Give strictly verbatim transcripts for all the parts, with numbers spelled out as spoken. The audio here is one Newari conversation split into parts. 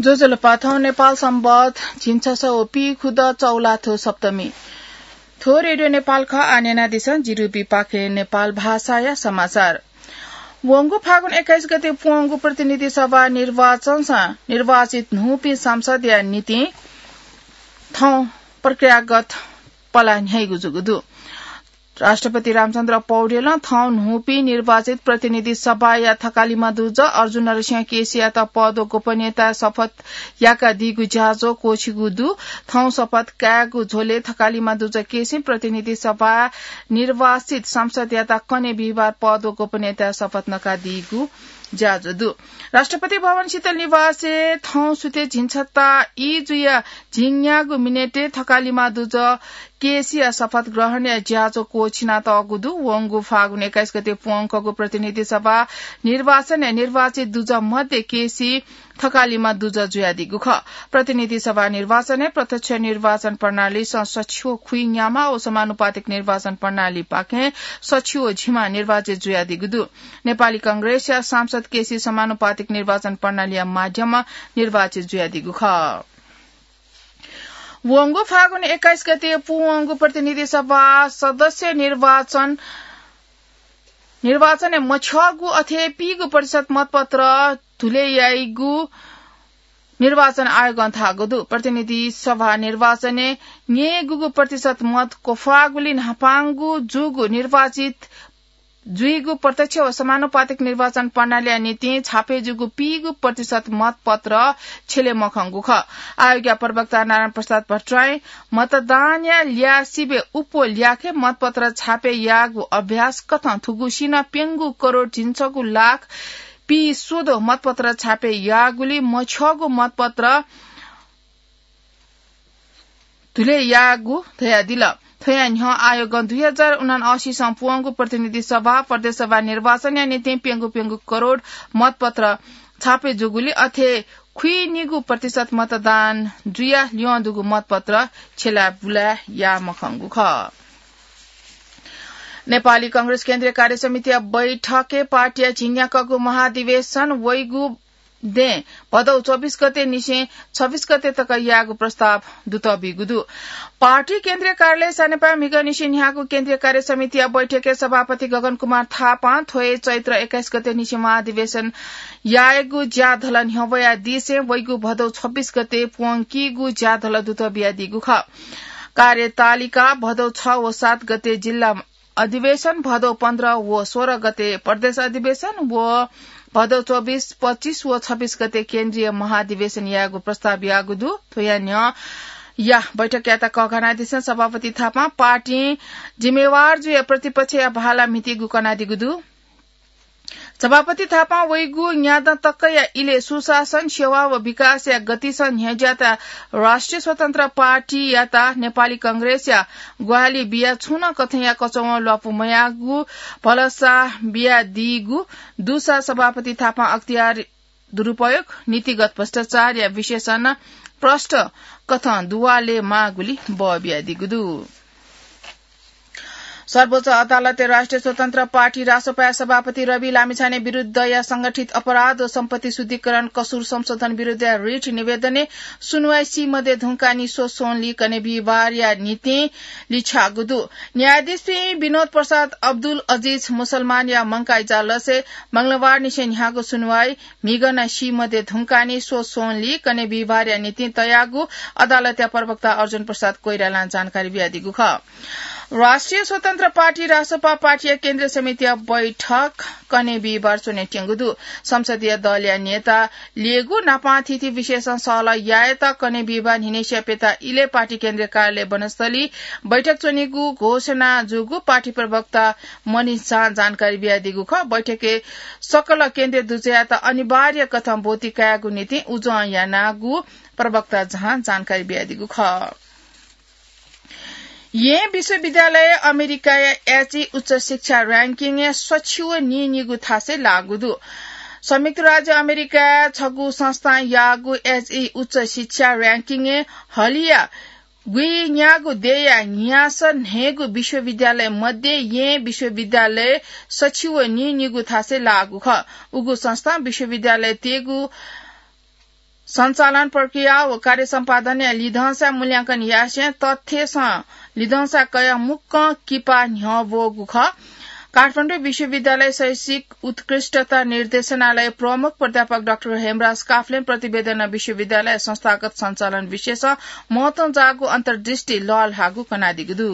ज्वजलपा, थौं नेपाल संवत् झिंछसः व पीखुदँ चौलाथ्व सप्तमी। थ्व रेडियो नेपाल खः। आः न्यनादिसँ जिरुबी पाखे नेपाल भाषाया समाचार। वंगु फागुन एक्काइस गते प्वंगु प्रतिनिधि सभा निर्वाचनसं निर्वाचित न्हूपिं सांसदया निंतिं थौं प्रक्रियागत पला न्ह्याइगु जूगु दु। राष्ट्रपति रामचन्द्र पौडेलं थौं न्हूपिं निर्वाचित प्रतिनिधि सभाया थकालिमा दुजः अर्जुन नरसिंह केसीयात पद व गोपनीयता शपथ याकादीगु ज्याझ्वः क्वःछिगु दु। थौं शपथ कायेगु झ्वलय् थकालिमा दुजः केसीं प्रतिनिधि सभा निर्वाचित सांसदयात कन्हय् बिहिबार पद व गोपनीयता शपथ नकादीगु ज्याझ्वः दु। राष्ट्रपति भवन शीतल निवासय् थौं सुथय् झिंछता ई जुया झिंन्यागू मिनेटय् थकालिमा दुजः केसीया शपथ ग्रहणया ज्याझ्वः क्वःछिनातःगु दु। वंगु फागुन एक्काइस गते प्वंकःगु प्रतिनिधि सभा निर्वाचनय् निर्वाचित दुजः मध्ये केसी थकालिमा दुजः जुयादीगु खः। प्रतिनिधि सभा निर्वाचनय् प्रत्यक्ष निर्वाचन प्रणालीसं सछि व खुइन्याम्ह व समानुपातिक निर्वाचन प्रणालीपाखें सछि व झिम्ह निर्वाचित जुयादीगु दु। नेपाली कांग्रेसया सांसद केसी समानुपातिक निर्वाचन प्रणालीया माध्यमं निर्वाचित जुयादीगु खः। वंगु फागुन एक्काइस गते पूवंगु प्रतिनिधि सभा सदस्य निर्वाचन, निर्वाचनय् मछ्यःगु अथे पीगु प्रतिशत मतपत्र धुले याइगु निर्वाचन आयोगं धाःगु दु। प्रतिनिधि सभा निर्वाचनय् न्यय्‌गूगु प्रतिशत मत क्वफाःगुलिं न्हापांगु जूगु निर्वाचित जुइगु प्रत्यक्ष व समानुपातिक निर्वाचन प्रणालीया निंतिं छापे जूगु पीगु प्रतिशत मतपत्र छ्यले मखंगु खः। आयोगया प्रवक्ता नारायण प्रसाद भट्टराईं मतदानया ल्याः सिबय् उप ल्याखय् मतपत्र छापे याःगु अभ्यास कथं थुगुसिनं प्यंगू करोड झिंछगू लाख पीस्वदँ मतपत्र छापे याःगुलिं मछ्यःगु मतपत्र धुले याःगु धयादिल। थ्वया न्ह्यः आयोगं दुई हजार उनान्हय्‌सिं पूवंगु प्रतिनिधि सभा, प्रदेश सभा निर्वाचनया निंतिं प्यंगू प्यंगू करोड मतपत्र छापे जूगुलिं अथे खुइनिगू प्रतिशत मतदान जुया ल्यं दुगु मतपत्र छ्यला बुला याः मखंगु खः। नेपाली कांग्रेस केन्द्रीय कार्य समितिया बैठकय् पार्टीया झिंन्याक्वःगु महाधिवेशन वइगु दँय् भदौ चौबिस गते निसें छब्बिस गते तक यायेगु प्रस्ताव दुतः बीगु दु। पार्टी केन्द्रीय कार्यालय सानेपाः म्हिगः निसें न्ह्याःगु केन्द्रीय कार्य समितिया बैठकय् सभापति गगन कुमार थापां थ्व हे चैत्र एक्काइस गते निसें महाधिवेशन यायेगु ज्याधल न्ह्यब्वयादिसें वइगु भदौ छब्बिस गते प्वंकीगु ज्याधल दुतः बियादीगु खः। कार्यतालिका भदौ छ व सात गते जिल्ला अधिवेशन, भदौ पन्ध्र व सोह्र गते प्रदेश अधिवेशन व भदौ चौबिस, पच्चिस व छब्बिस गते केन्द्रीय महाधिवेशन यायेगु प्रस्ताव याःगु दु। थ्वया न्ह्यः या बैठकयात कःघानादिसें सभापति थापां पार्टीं जिम्मेवार जुया प्रतिपक्षया भाला म्हितीगु कनादीगु दु। सभापति थापां वइगु न्यादँ तकया इलय् सुशासन, सेवा व विकासया गतिसं न्ह्यज्याःत राष्ट्रिय स्वतन्त्र पार्टीयात नेपाली कांग्रेसया ग्वाहालि बिया छुं नं कथंया कचवं ल्वापु मयाःगु भलसा बियादीगु दुसा सभापति थापां अख्तियार दुरुपयोग, नीतिगत भ्रष्टाचारया विशेषण प्रष्ट कथं दुवाले माःगुलि बः बियादीगु दु। सर्वोच्च अदालतय् राष्ट्रिय स्वतन्त्र पार्टी रासोपाया सभापति रवि लामिछाने विरुद्धया संगठित अपराध व सम्पत्ति शुद्धिकरण कसुर संशोधन विरुद्धया रिट निवेदनय् सुनुवाइ सी मध्ये धुंकाः निस्वः स्वंलि कन्हय् बिहिबारया निंतिं लिछ्याःगु दु। न्यायाधीशपिं विनोद प्रसाद अब्दुल अजिज मुसलमानया मंकाः इजलासय् मंगलबार निसें न्ह्याःगु सुनुवाइ म्हिगः नं सी मध्ये धुंकाः निस्वः स्वंलि कन्हय् बिहिबारया निंतिं तयागु अदालतया प्रवक्ता अर्जुन प्रसाद कोइरालां जानकारी बियादीगु खः। राष्ट्रिय स्वतन्त्र पार्टी रासोपा पार्टीया केन्द्रीय समितिया बैठक कन्हय् बिहिबार च्वनेत्यंगु दु। संसदीय दलया नेता ल्ययेगु नापं थीथी विषयसं सहलह यायेत कन्हय् बिहिबार न्हिनय् स्याप्यता इलय् पार्टी केन्द्रीय कार्यालय वनस्थली बैठक च्वनीगु घोषणा जूगु पार्टी प्रवक्ता मनिष झां जानकारी बियादीगु खः। बैठकय् सकल केन्द्रीय दुजःयात अनिवार्य कथं ब्वति कायेगु निंतिं उजं यानागु प्रवक्ता झां जानकारी बियादीगु खः। येँ विश्वविद्यालय अमेरिकाया एचई उच्च शिक्षा र्‍याङ्किङय् सछि व नीनिगू थासय् लाःगु दु। संयुक्त राज्य अमेरिकाया छगू संस्थां याःगु एचई उच्च शिक्षा र्‍याङ्किङय् हलिया गुइन्यागू देय्‌या न्हियासः न्हय्‌गू विश्वविद्यालय मध्ये येँ विश्वविद्यालय सछि व नीनिगू थासय् लाःगु खः। उगु संस्थां विश्वविद्यालयतय्‌गु सञ्चालन प्रक्रिया व कार्य सम्पादनया लिधंसा मूल्यांकन यासें तथ्यसं लिधंसा कयाः मुक्कं किपा न्ह्यः ब्वःगु खः। काठमाडौं विश्वविद्यालय शैक्षिक उत्कृष्टता निर्देशनालय प्रमुख प्राध्यापक डाक्टर हेमराज काफ्लें प्रतिवेदनं विश्वविद्यालय संस्थागत सञ्चालन विषयसं महत्वं जाःगु अन्तर्दृष्टि लःल्हाःगु कनादीगु दु।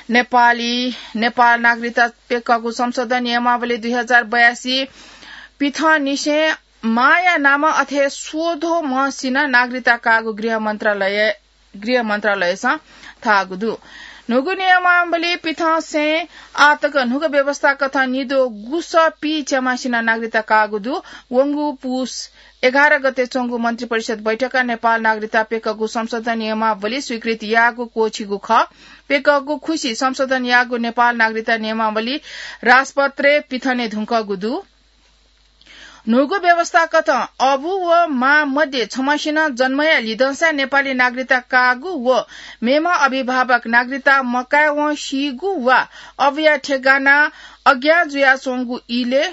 नेपाली, नेपाल नागरिकता प्यकःगु संशोधन नियमावली दुई हजार बयासी पिथंनिसें मांया नामं अथे स्वद्वः म्हसिनं नागरिकता काःगु गृह मन्त्रालय, गृह मन्त्रालयसं धाःगु दु। न्हूगु नियमावली पिथंसें आःतक न्हूगु व्यवस्था कथं निद्वः गुसः पीच्याम्हसिनं नागरिकता काःगु दु। वंगु पुस एघार गते च्वंगु मन्त्रिपरिषद बैठकय् नेपाल नागरिकता प्यकःगु संशोधन नियमावली स्वीकृत याःगु क्वःछिगु खः। प्यकःगु खुसि संशोधन याःगु नेपाल नागरिकता नियमावली राजपत्रय् पिथने धुंकःगु दु। न्हूगु व्यवस्था कथं अबु व मां मध्ये छम्हसिनं जन्मया लिधंसा नेपाली नागरिकता काःगु व मेम्ह अभिभावक नागरिकता मकायेवं सीगु वा अबुया ठेगाना अज्ञा जुयाच्वंगु इलय्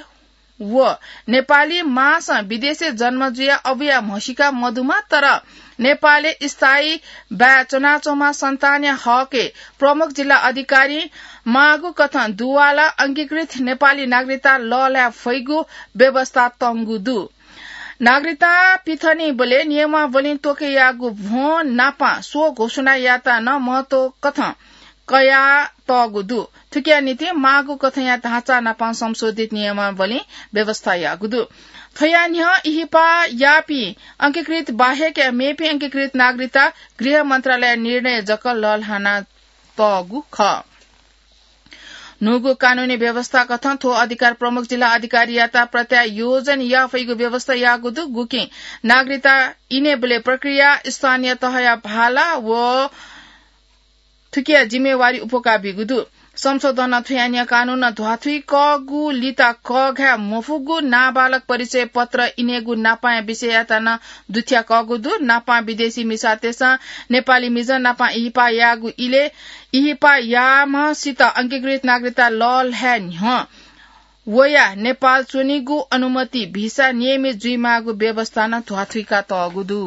व नेपाली मांसं विदेशय् जन्म जुयाः अबुया म्हसीका मदुम्ह तर नेपालय् स्थायी बाय् च्वनाच्वंम्ह सन्तानया हकय् प्रमुख जिल्ला अधिकारी माःगु कथं दुवाला अंगीकृत नेपाली नागरिकता लःल्हाये फइगु व्यवस्था तंगु दु। नागरिकता पिथनीबलय् नियमावलीं त्वके याःगु भ्वं नापं स्व घोषणा यायेत नं महत्व कथं कयातःगु दु। थुकिया निंतिं माःगु कथंया ढाँचा नापं संशोधित नियमावलीं व्यवस्था याःगु दु। थ्वया न्ह्यः इहिपा याःपिं अंगीकृत बाहेकया मेपिं अंगीकृत नागरिकता गृह मन्त्रालय निर्णय जक लःल्हाना तःगु खः। न्हूगु कानूनी व्यवस्था कथं थ्व अधिकार प्रमुख जिल्ला अधिकारीयात प्रत्यायोजन याफइगु व्यवस्था याःगु दु। गुकिं नागरिकता इनेबलय् प्रक्रिया स्थानीय तहया भाला व थुकिया जिम्मेवारी उपुका बीगु दु। संशोधनं थुया न्ह्यः कानूनं ध्वाथुइकःगु लिता कःघाये मफुगु नाबालक परिचय पत्र इनेगु नापांया विषययात नं दुथ्याकःगु दु। नापां विदेशी मिसातय्सं नेपाली मिजं नापां इहिपा याःगु इलय् इहिपा याःम्हसित अंगीकृत नागरिकता लःल्हाये न्ह्यः वया नेपाल च्वनीगु अनुमति भिसा नियमित जुइमाःगु व्यवस्था नं ध्वाथुइका तःगु दु।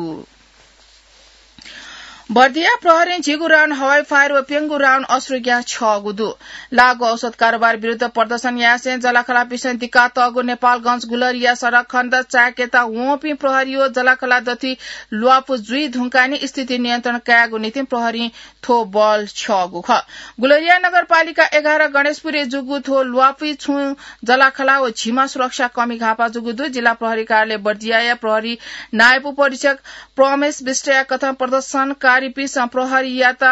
बर्दिया प्रहरीं झिगू राउन्ड हवाई फायर व प्यंगू राउन्ड अश्रुग्यास छ्यःगु दु। लागू औषध कारोबार विरुद्ध प्रदर्शन यासें जलाखलापिसं दिकातःगु नेपालगंज गुलरिया सडक खण्ड चाय्केत वंपिं प्रहरी व जलाखला दथुइ ल्वापु जुइ धुंकाः नि स्थिति नियन्त्रण कायेगु निंतिं प्रहरीं थ्व बल छ्यःगु खः। गुलरिया नगरपालिका एघार गणेशपुरय् जूगु थ्व ल्वापुइ छुं जलाखला व झिमा सुरक्षा कमी घाःपा जूगु दु। जिल्ला प्रहरी कार्यालय बर्दियाया प्रहरी नायब उपरीक्षक प्रमेश विष्टया कथं प्रदर्शनकारीपिसं प्रहरीयात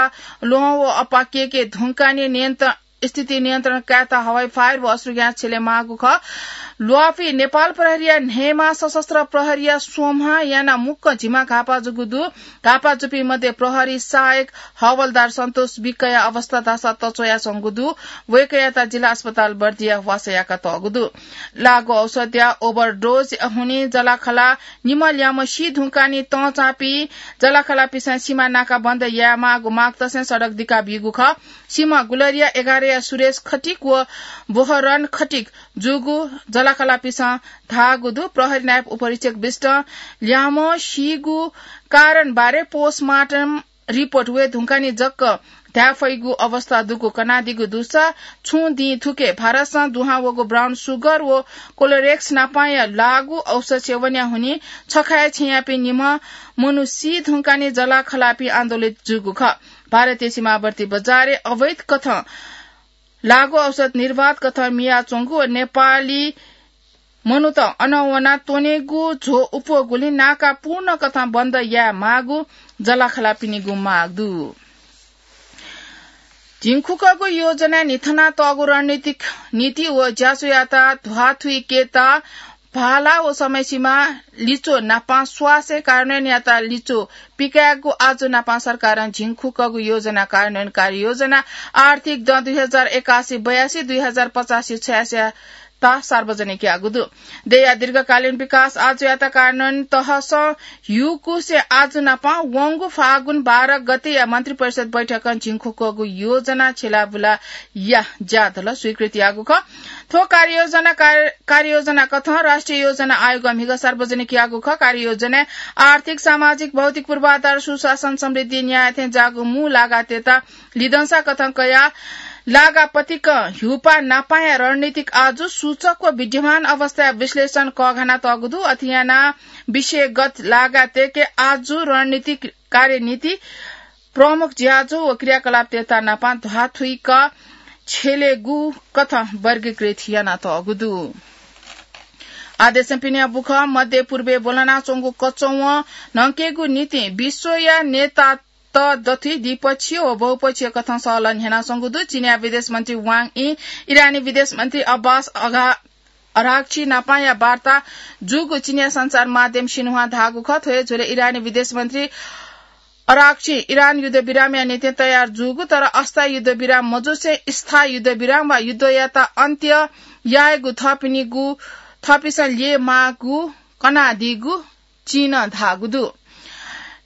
ल्वहं व अप्पा केके धुंकाः नि नियन्त्रण, स्थिति नियन्त्रण कायेत हवाई फायर व अश्रुग्यास छ्यले माःगु खः। ल्वापुइ नेपाल प्रहरीया न्हय्मा, सशस्त्र प्रहरीया स्वम्ह यानाः मुक्क झिमा घाःपा जूगु दु। घाःपा जूपिं मध्ये प्रहरी सहायक हवलदार सन्तोष विकया अवस्था धाःसा तच्वयाच्वंगु दु। वय्कःयात जिल्ला अस्पताल बर्दिया ह्वासा याकातःगु दु। लागू औषधया ओभरडोज हुनिं जलाखला निम्ह ल्याम्ह सी धुंकाः नि तंचांपिं जलाखलापिसं सीमा नाकाबन्द यायेमाःगु मागतसें सडक दिकाबीगु खः। सीम्ह गुलरिया एघारया सुरेश खटिक व बोहरन खटिक जूगु जलाखलापिसं धाःगु दु। प्रहरी नायब उपरीक्षक विष्टं ल्याम्ह सीगु कारणबारे पोस्टमार्टम रिपोर्ट वये धुंकाः नि जक धाये फइगु अवस्था दुगु कनादीगु दुसा छुं दिं थुके भारतसं दुहां वःगु ब्राउन सुगर व कोलोरेक्स नापांया लागू औषध सेवनया हुनिं छखाय् छेँयापिं निम्ह मनू सी धुंकाः नि जलाखलापी आन्दोलित जूगु खः। भारतीय सीमावर्ती बजारय् अवैध कथं लागू औषध निर्वाध कथं मियाच्वंगु व नेपाली मनूत अन वनाः त्वनेगु झ्व उप्वःगुलिं नाका पूर्ण कथं बन्द यायेमाःगु जलाखलापिनिगु माग दु। झिंखुकःगु योजना निथनातःगु रणनीतिक नीति व ज्याझ्वःयात ध्वाथुइकेत भाला व समयसीमा लिच्वः नापं स्वासय् कार्यान्वयन यायेत लिच्वः पिकायेगु आजु नापं सरकारं झिंखुकःगु योजना कार्यान्वयन कार्ययोजना आर्थिक दँ दुई हजार एकासी बयासी, दुई हजार पचासी छयासीया ता सार्वजनिक याःगु दु। देय्‌या दीर्घकालीन विकास आजुयात कार्यान्वयन तहसं ह्यूकुसे आजु नापं वंगु फागुन बाह्र गतेया मन्त्रिपरिषद बैठकं झिंखुक्वःगु योजना छ्यलाबुलाया ज्यादल स्वीकृति याःगु खः। थ्व कार्ययोजना कार्य-, कार्ययोजना कथं राष्ट्रिय योजना आयोगं म्हिगः सार्वजनिक याःगु खः। कार्ययोजनाय् आर्थिक, सामाजिक, भौतिक पूर्वाधार, सुशासन, समृद्धि, न्याय थें ज्याःगु मू लागातय्‌त लिधंसा कथं कयाः लागापतिकं ह्यूपाः नापांया रणनीतिक आजु सूचक व विद्यमान अवस्थाया विश्लेषण कःघाना तःगु दु। अथे यानाः विषयगत लागातय्‌के आजु रणनीतिक कार्यनीति, प्रमुख ज्याझ्वः व क्रियाकलापतय्‌त नापां ध्वाथुइक छ्यलेगु कथं वर्गीकृत याना तःगु दु। आदेशं पिने बुखँ मध्य पूर्वय् ब्वलनाच्वंगु कचौवं न्हंकेगु निंतिं विश्वया नेता त दथुइ द्विपक्षीय व बहुपक्षीय कथं सहलह न्ह्यानाच्वंगु दु। चीनया विदेश मन्त्री वाङ यी, इरानी विदेश मन्त्री अब्बास अघा-, अराक्ची नापांया वार्ता जूगु चीनया सञ्चार माध्यम सिन्हुवां धाःगु खः। थ्व हे झ्वलय् इरानी विदेश मन्त्री अराक्ची इरान युद्ध विरामया निंतिं तयार जूगु, तर अस्थायी युद्ध विराम मजुसे स्थायी युद्ध विराम वा युद्धयात अन्त्य यायेगु थःपिनिगु, थःपिन्सं ल्यये माःगु कनादीगु चीनं धाःगु दु।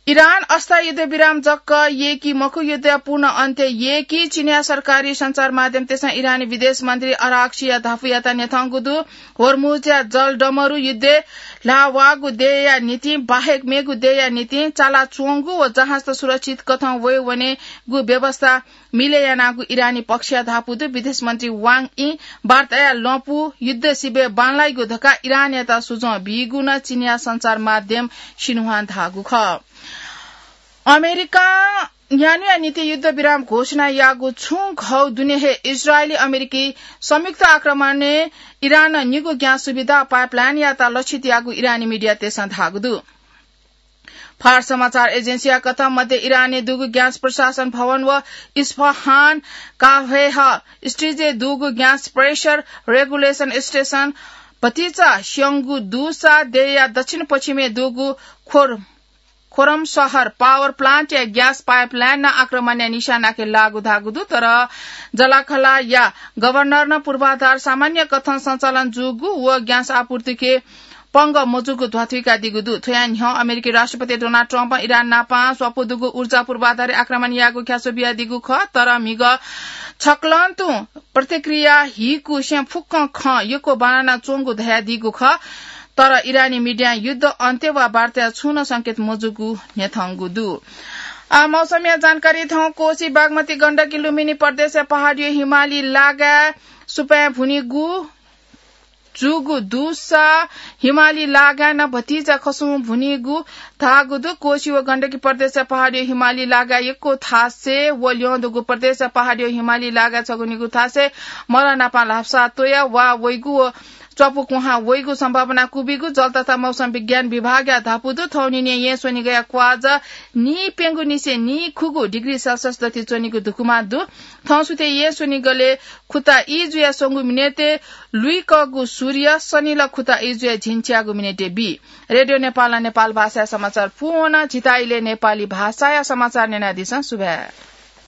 इरान अस्थायी युद्ध विराम जक यय्‌की मखु, युद्धया पूर्ण अन्त्य यय्‌की। चीनया सरकारी सञ्चार माध्यमतय्‌सं इरानी विदेश मन्त्री अराक्चीया धापुयात न्ह्यथंगु दु। होर्मुजया जलडमरु युद्धय् ल्हाः वःगु देय्‌या निंतिं बाहेक मेगु देय्‌या निंतिं चालाच्वंगु व जहाजत सुरक्षित कथं वये वनेगु व्यवस्था मिले यानागु इरानी पक्षया धापू दु। विदेश मन्त्री वाङ यी वार्ताया लँपु युद्ध सिबय् बांलाइगु धकाः इरानयात सुझाव बीगु नं चीनया सञ्चार माध्यम सिन्हुवां धाःगु खः। अमेरिकां न्यान्हुया निंतिं युद्ध विराम घोषणा याःगु छुं घौ दुने हे इजरायली अमेरिकी संयुक्त आक्रमणय् इरानं निगू ग्यास सुविधा पाइपलाइनयात लक्षित याःगु इरानी मिडियातय्‌सं धाःगु दु। फार्स समाचार एजेन्सीया कथं मध्य इरानय् दुगु ग्यास प्रशासन भवन व इस्फहान काहेह स्ट्रिजय् दुगु ग्यास प्रेसर रेगुलेसन स्टेसन भतिचा स्यंगु दुसा देय्‌या दक्षिण पश्चिमय् दुगु खोर-, खोरम शहर पावर प्लान्टया ग्यास पाइपलाइन नं आक्रमणया निशानाके लाःगु धाःगु दु। तर जलाखलाया गभर्नरं पूर्वाधार सामान्य कथं सञ्चालन जूगु व ग्यास आपूर्तिके पंगः मजूगु ध्वाथुइकादीगु दु। थ्वया न्ह्यः अमेरिकी राष्ट्रपति डोनाल्ड ट्रम्पं इरान नापं स्वापू दुगु ऊर्जा पूर्वाधारय् आक्रमण यायेगु ख्यासो बियादीगु खः, तर म्हिगः छकलं तुं प्रतिक्रिया हीकुसें फुक्कं खँ यक्व बांलाना च्वंगु धयादीगु खः। तर इरानी मिडियां युद्ध अन्त्य वा वार्ताया छुं नं संकेत मजूगु न्ह्यथंगु दु। आ, मौसमया जानकारी थौं। कोशी, बागमती, गण्डकी, लुम्बिनी प्रदेशया पहाडीया हिमाली लागाय् सुपाँय् भुनेगु जूगु दुसा हिमाली लागाय् नं भतिचा खसुं भुनेगु धाःगु दु। कोशी व गण्डकी प्रदेशया पहाडीया हिमाली लागाय् यक्व थासय् व ल्यं दुगु प्रदेशया पहाडीया हिमाली लागाय् छगू निगू थासय् मरः नापं ल्हापसा त्वया वा वइगु व च्वापु कुहां वइगु सम्भावना क्वबिगु जल तथा मौसम विज्ञान विभागया धापू दु। थौंनिनिया येँ स्वनिगःया क्वाःजा नीप्यंगुनिसें नीखुगू डिग्री सेल्सियस दथुइ च्वनीगु धुकुमा दु। थौंसुथय् येँ स्वनिगलय् खुता ई जुया स्वंगु मिनेटय् लुइकःगु सूर्य, सनिल खुता ई जुया झिंच्याःगु मिनेटय् बी। रेडियो नेपालं नेपाल भाषाया समाचार पूवन। झीत इलय् नेपाली भाषाया समाचार न्यनादिसँ। सुभाय्।